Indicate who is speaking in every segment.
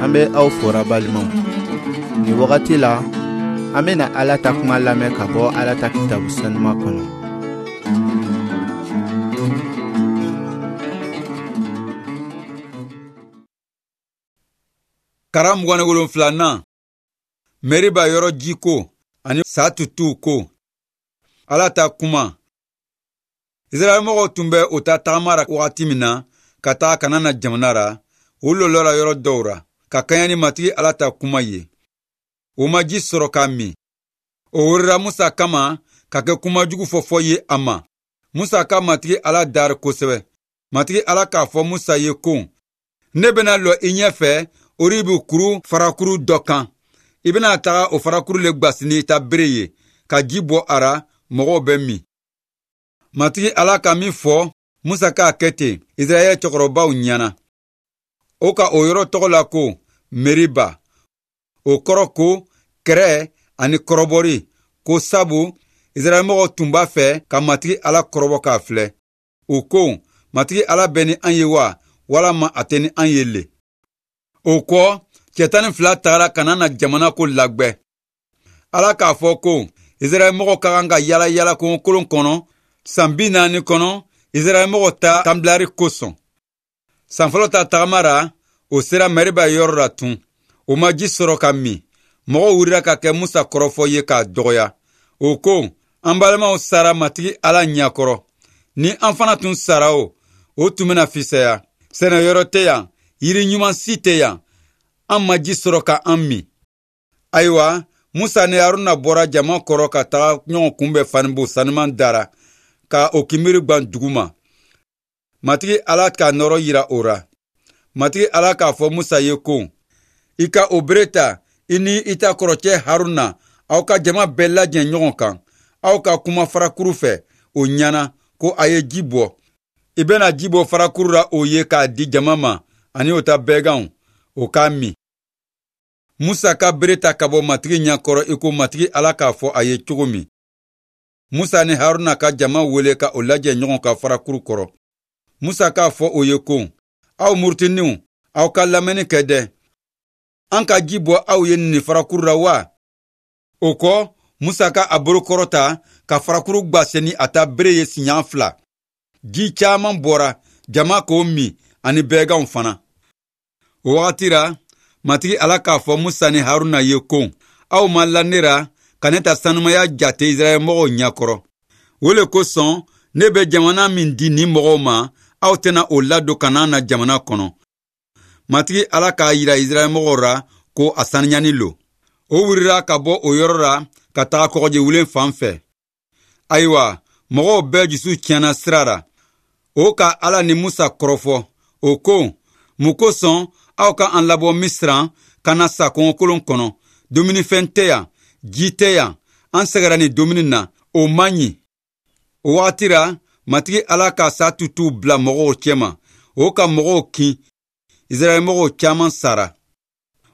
Speaker 1: An bɛ aw fora balimaw. Nin wagati la, an bɛna Ala ta kuma lamɛn ka bɔ Ala ta kitabu sanuma kɔnɔ.
Speaker 2: Karan 27nan, Meriba yɔrɔ jiko ani sa tutuw ko. Ala ta kuma. Israɛlmɔgɔw tun bɛ o ta tagama ra wagati min na ka taga Kanana jamana ra, u lɔlɔra yɔrɔ dɔw ra ka kɛɲɛ ni Matigi Ala ta kuma ye. U ma ji sɔrɔ k'a min. O wurira Musa kama ka kɛ kuma jugu fɔfɔ ye a ma. Musa ka Matigi Ala dari kosɛbɛ. Matigi Ala k'a fɔ Musa ye ko, ne bɛna lɔ i ɲɛfɛ Oribu kuru farakuru dɔ kan. I bɛna taga o farakuru le gwasi ni i ta bere ye, ka ji bɔ a ra, mɔgɔw bɛ min. Matigi Ala ka min fɔ, Musa k'a kɛ ten Israɛl cɛkɔrɔbaw ɲɛna. O ka o yɔrɔ tɔgɔ la ko Meriba. O kɔrɔ ko kɛrɛ ani kɔrɔbɔri, ko sabu Israɛlmɔgɔw tun b'a fɛ ka Matigi Ala kɔrɔbɔ k'a filɛ. U ko, Matigi Ala bɛ ni an ye wa, walama a tɛ ni an ye le? O kɔ, cɛ 12 tagara Kanana jamana ko lagwɛ. Ala k'a fɔ ko Israɛlmɔgɔw ka kan ka yala yala kungokolon kɔnɔ san 40 kɔnɔ Israɛlmɔgɔw ta kanbilari kosɔn. San fɔlɔ ta tagama ra, o sera Meriba yɔrɔ la tun. O ma ji sɔrɔ ka min. Mɔgɔw wulila ka kɛ Musa kɔrɔfɔ ye k'a dɔgɔya. O ko, an balimaw sara Matigi Ala ɲɛkɔrɔ. Ni an fana tun sara o, o tun bɛna fisaya. Sɛnɛyɔrɔ tɛ yan, yiri ɲuman si tɛ yan. An ma ji sɔrɔ ka an min. Ayiwa, Musa ni Haruna bɔra jama kɔrɔ ka taga ɲɔgɔn kunbɛn fanibo sanuman dara, ka o kinbiri gwan duguma. Matigi Ala k'a nɔrɔ yira o ra. Matigi Ala k'a fɔ Musa ye ko, i ka o bere ta, i ni i ta kɔrɔcɛ Haruna, aw ka jama bɛɛ lajɛ ɲɔgɔn kan. Aw ka kuma farakuru fɛ, o ɲɛna ko a ye ji bɔ. I bɛna ji bɔ farakuru ra o ye k'a di jama ma ani o ta bɛganw, o k'a min. Musa ka bere ta ka bɔ Matigi ɲɛkɔrɔ i ko Matigi Ala k'a fɔ a ye cogo min. Musa ni Haruna ka jama wele ka o lajɛ ɲɔgɔn kan farakuru kɔrɔ. Musa k'a fɔ o ye ko, aw murutininw, aw ka lamɛnni kɛ dɛ. An ka ji bɔ aw ye nin farakuru la wa? O kɔ, Musa ka a bolo kɔrɔta ka farakuru gwase ni a ta bere ye siɲɛ 2. Ji caman bɔra, jama k'o min ani bɛganw fana. O wagati ra, Matigi Ala k'a fɔ Musa ni Haruna ye ko, aw ma la ne ra ka ne ta sanumaya jate Israɛlmɔgɔw ɲɛkɔrɔ. O le kosɔn ne bɛ jamana min di nin mɔgɔw ma, aw tɛna o ladon Kanana jamana kɔnɔ. Matigi Ala k'a yira Israɛlmɔgɔw ra ko a saniyani lo. O wurira ka bɔ o yɔrɔ ra ka taga kɔgɔjiwulen fan fɛ. Ayiwa, mɔgɔw bɛɛ jusu tiɲɛna sira ra. O ka Ala ni Musa kɔrɔfɔ. O ko, mun kosɔn aw ka an labɔ Misira ka na sa kɔngɔkolon kɔnɔ? Dumunifɛn tɛ yan, ji tɛ yan, an sɛgɛra nin dumuni na, o man ɲi. O wagati ra, Matigi Ala ka sa tutuw bila mɔgɔw cɛma. O ka mɔgɔw kin. Israɛlmɔgɔw caman sara.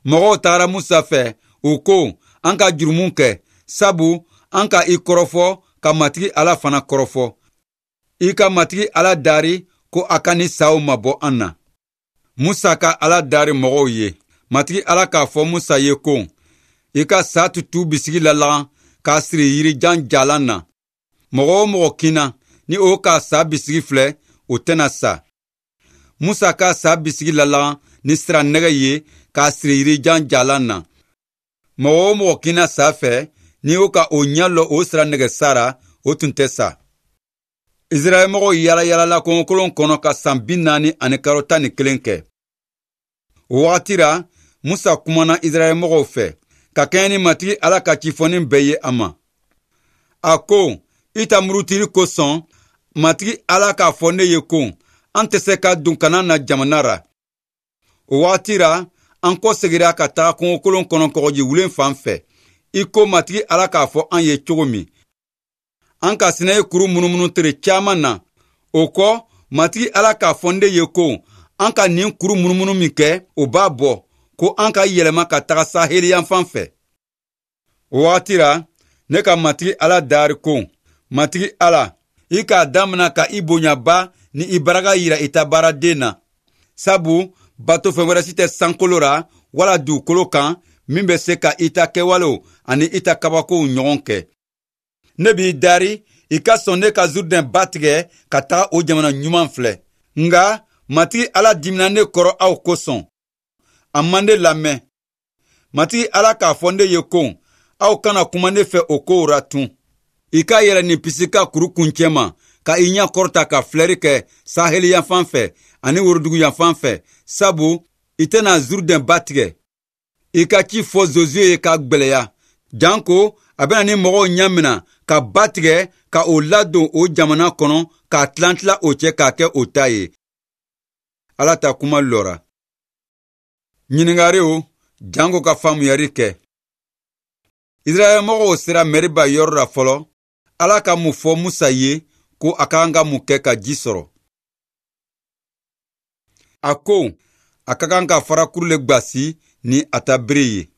Speaker 2: Mɔgɔw tagara Musa fɛ, u ko, an ka jurumu kɛ, sabu an ka i kɔrɔfɔ ka Matigi Ala fana kɔrɔfɔ. I ka Matigi Ala dari ko a ka ni saw mabɔ an na. Musa ka Ala dari mɔgɔw ye. Matigi Ala k'a fɔ Musa ye ko, i ka sa tutu bisigi lalagan k'a siri yirijan jalan na. Mɔgɔ o mɔgɔ kinna, ni o ka sa bisigi filɛ, o tɛna sa. Musa ka sa bisigi lalagan ni sira nɛgɛ ye k'a siri yirijan jalan na. Mɔgɔ o mɔgɔ kinna sa fɛ, ni o ka o ɲɛ lɔ o sira nɛgɛ sara, o tun tɛ sa. Israɛlmɔgɔw yala yalala kɔngɔkolon kɔnɔ ka san 40 ani kalo 11 kɛ. O wagati ra, Musa kumana Israɛlmɔgɔw fɛ ka kɛɲɛ ni Matigi Ala ka cifɔnin bɛɛ ye a ma. A ko, i ta murutili kosɔn, Matigi Ala k'a fɔ ne ye ko, an tɛ se ka don Kanana jamana ra. O wagati ra, an kɔsegira ka taga kungokolon kɔnɔ kɔgɔjiwulen fan fɛ, i ko Matigi Ala k'a fɔ an ye cogo min. An ka Sinayi kuru munumunu tere caman na. O kɔ, Matigi Ala k'a fɔ ne ye ko, an ka nin kuru munumunu min kɛ, o b'a bɔ, ko an ka yɛlɛma ka taga saheli yanfan fɛ. O wagati ra, ne ka Matigi Ala dari ko, Matigi Ala, i k'a damina ka i bonyaba ni i baraka yira i ta baaraden na. Sabu batofɛn wɛrɛ si tɛ sankolo ra wala dugukolo kan min bɛ se ka i ta kɛwalew ani i ta kabakow ɲɔgɔn kɛ. Ne b'i dari i ka sɔn ne ka Zurdɛn ba tigɛ ka taga o jamana ɲuman filɛ. Nka Matigi Ala dimina ne kɔrɔ aw kosɔn. A ma ne lamɛn. Matigi Ala k'a fɔ ne ye ko, aw kana kuma ne fɛ o kow ra tun. I ka yɛlɛ nin Pisika kuru kuncɛ ma, ka i ɲɛ kɔrɔta ka filɛri kɛ saheli yanfan fɛ ani worodugu yanfan fɛ, sabu i tɛna Zurdɛn ba tigɛ. I ka ci fɔ Zozuye ye k'a gwɛlɛya, janko a bɛna ni mɔgɔw ɲɛ ka ba tigɛ ka o ladon o jamana kɔnɔ k'a tilan-tilan o cɛ k'a kɛ o ta ye. Ala ta kuma lɔra. Ɲininkariw janko ka faamuyari kɛ. Israɛl mɔgɔw sera Mɛriba yɔrɔ la fɔlɔ. Ala ka mun fɔ Musa ye ko a ka kan ka mun kɛ ka ji sɔrɔ? A ko a ka kan ka farakuru le gbasi ni a ta bere ye.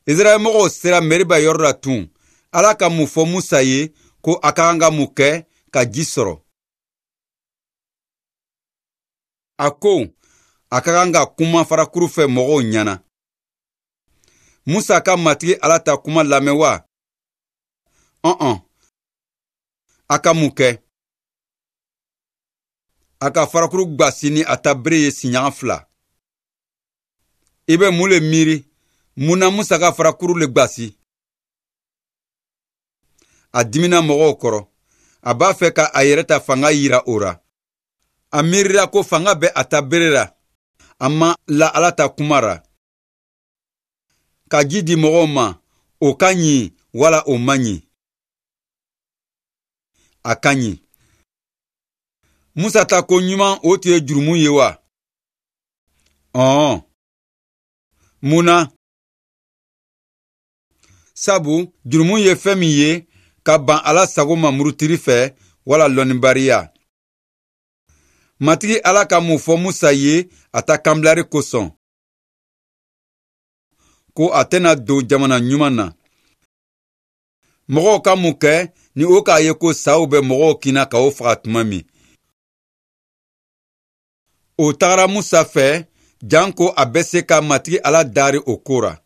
Speaker 2: Israɛl mɔgɔw sera Mɛriba yɔrɔ la tun. Ala ka mun fɔ Musa ye ko a ka kan ka mun kɛ ka ji sɔrɔ? A ko a ka kan ka kuma farakuru fɛ mɔgɔw ɲɛna. Musa ka Matigi Ala ta kuma lamɛn wa? Ɔn-ɔn. A ka mun kɛ? A ka farakuru gbasi ni a ta bere ye siɲɛ 2. I bɛ mun le miiri? Mun na Musa ka farakuru le gbasi? A dimina mɔgɔw kɔrɔ. A b'a fɛ ka a yɛrɛ ta fanga yira o ra. A miirila ko fanga bɛ a ta bere la. A ma la Ala ta kuma ra. Ka ji di mɔgɔw ma, o ka ɲi wala o man ɲi? A ka ɲi. Musa ta ko ɲuman o tun ye jurumu ye wa? Ɔn. Mun na? Sabu jurumu ye fɛn min ye ka ban Ala sago ma murutiri fɛ wala lɔnnibariya. Matigi Ala ka mun fɔ Musa ye a ta kanbilari kosɔn? Ko a tɛna don jamana ɲuman na. Mɔgɔw ka mun kɛ ni o k'a ye ko saw bɛ mɔgɔw kinna ka o faga tuma min? O tagara Musa fɛ janko a bɛ se ka Matigi Ala dari o ko ra.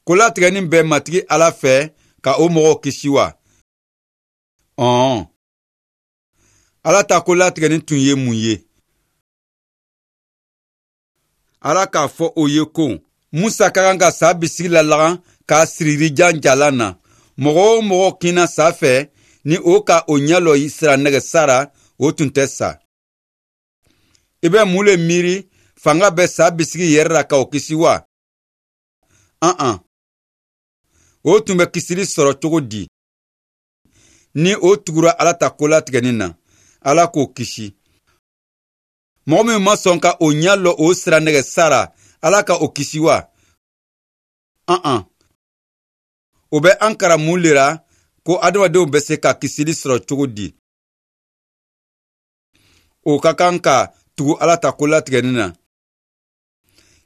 Speaker 2: Kolatigɛni bɛ Matigi Ala fɛ ka o mɔgɔw kisi wa? Ɔn. Ala ta kolatigɛni tun ye mun ye? Ala k'a fɔ o ye ko Musa ka kan ka sa bisigi lalagan k'a siri yirijan jalan na. Mɔgɔ o mɔgɔ kinna sa fɛ ni o ka o ɲɛ lɔ sira nɛgɛ sara, o tun tɛ sa. I bɛ mun le miiri? Fanga bɛ sa bisigi yɛrɛ la ka o kisi wa? An-an. O tun bɛ kisili sɔrɔ cogo di? Ni o tugura Ala ta kolatigɛni na, Ala k'o kisi. Mɔgɔ min ma sɔn ka o ɲɛ lɔ o sira nɛgɛ sara, Ala ka o kisi wa? An-an. O bɛ an karan mun le ra ko adamadenw bɛ se ka kisili sɔrɔ cogo di? O ka kan ka tugu Ala ta kolatigɛni na.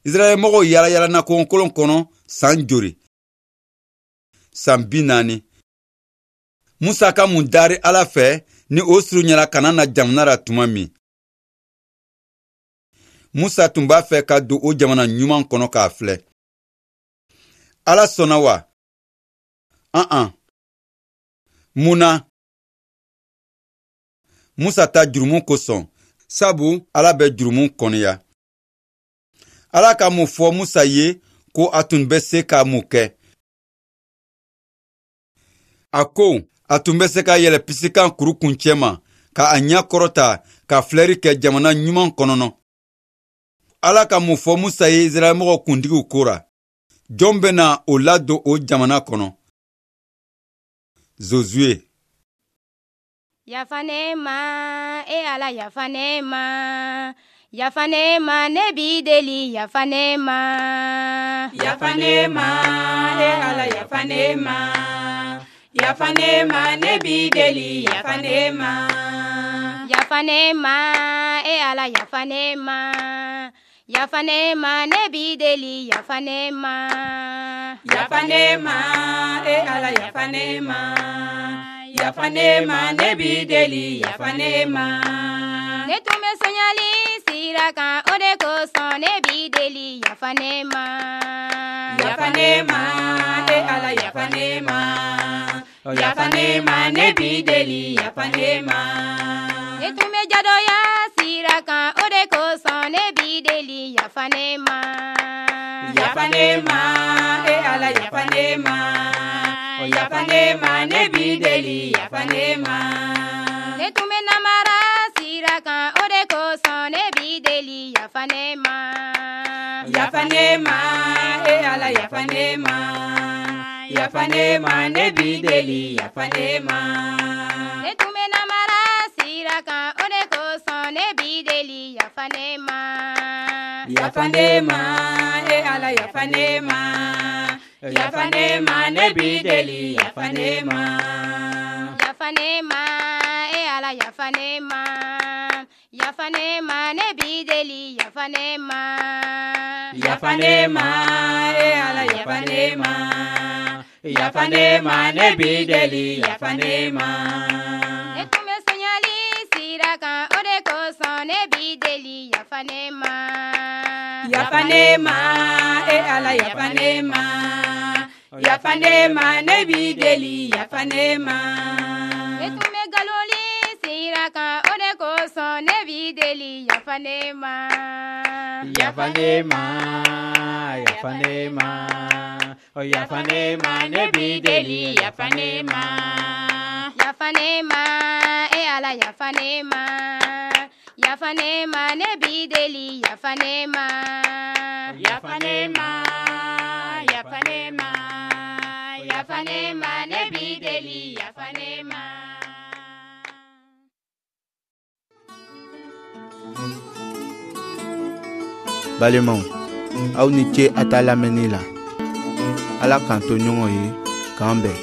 Speaker 2: Israɛl mɔgɔw yala yalana kungokolon kɔnɔ san joli? San 40. Musa ka mun dari Ala fɛ ni o surunyara ka na jamana la tuma min? Musa tun b'a fɛ ka don o jamana ɲuman kɔnɔ k'a filɛ. Ala sɔnna wa? An-an. Mun na? Musa ta jurumu kosɔn, sabu Ala bɛ jurumu kɔniya. Ala ka mun fɔ Musa ye ko a tun bɛ se ka mun kɛ? A ko a tun bɛ se ka yɛlɛ Pisikan kuru kuncɛ ma ka a ɲɛ kɔrɔta ka filɛri kɛ jamana ɲuman kɔnɔ. Ala ka mun fɔ Musa ye Israɛl mɔgɔw kuntigiw ko ra? Jɔn bɛna o ladon o jamana kɔnɔ? Zozuye.
Speaker 3: Yafa ne ma, e Ala, yafa ne ma. Yafa ne ma, ne b'i deli, yafa ne ma.
Speaker 4: Yafa ne ma, e Ala, yafa ne ma. Yafa ne ma, ne b'i deli, yafa ne ma.
Speaker 3: Yafa ne ma, e Ala, yafa ne ma. Yafa ne ma, ne b'i deli, yafa ne ma.
Speaker 4: Yafa ne ma, e Ala, yafa ne ma. Yafa ne ma, ne b'i deli, yafa ne ma.
Speaker 3: Ne tun bɛ soɲali sira kan, o de kosɔn ne b'i deli, yafa ne ma.
Speaker 4: Yafa ne ma, e Ala, yafa ne ma. Yafa ne ma, ne b'i deli, yafa ne ma.
Speaker 3: Ne tun bɛ jadɔya sira kan, o de kosɔn ne b'i deli, yafa ne ma.
Speaker 4: Yafa ne ma, e Ala, yafa ne ma. Yafa ne ma, ne b'i deli, yafa ne ma.
Speaker 3: Ne tun bɛ namara sira kan, o de kosɔn ne b'i deli, yafa ne ma.
Speaker 4: Yafa ne ma, e Ala, yafa ne ma. Yafa ne ma, ne b'i deli, yafa ne ma.
Speaker 3: Ne tun bɛ namara sira kan, o de kosɔn ne b'i deli, yafa ne ma.
Speaker 4: Yafa ne ma, e Ala, yafa ne ma. Yafa ne ma, ne b'i deli, yafa ne ma.
Speaker 3: Yafa ne ma, e Ala, yafa ne ma. Yafa ne ma, ne b'i deli, yafa ne ma.
Speaker 4: Yafa ne ma, e Ala, yafa ne ma. Yafa ne ma, ne b'i deli, yafa ne ma.
Speaker 3: Ne tun bɛ sonyali sira kan, o de kosɔn ne b'i deli, yafa ne ma.
Speaker 4: Yafa ne ma, e Ala, yafa ne ma. Yafa ne ma, ne b'i deli, yafa ne ma.
Speaker 3: Ne tun bɛ nkalonli sira kan, o de kosɔn ne b'i deli, yafa ne ma.
Speaker 4: Yafa ne ma, yafa ne ma. Yafa ne ma, ne b'i deli, yafa ne ma.
Speaker 3: Yafa ne ma, e Ala, yafa ne ma. Yafa ne ma, ne b'i deli, yafa ne ma.
Speaker 4: Yafa ne ma, yafa ne ma. Yafa ne ma, ne b'i deli, yafa ne ma.
Speaker 1: Balimaw, aw ni ce a ta lamɛnni la. Ala k'an to ɲɔgɔn ye, k'an bɛn.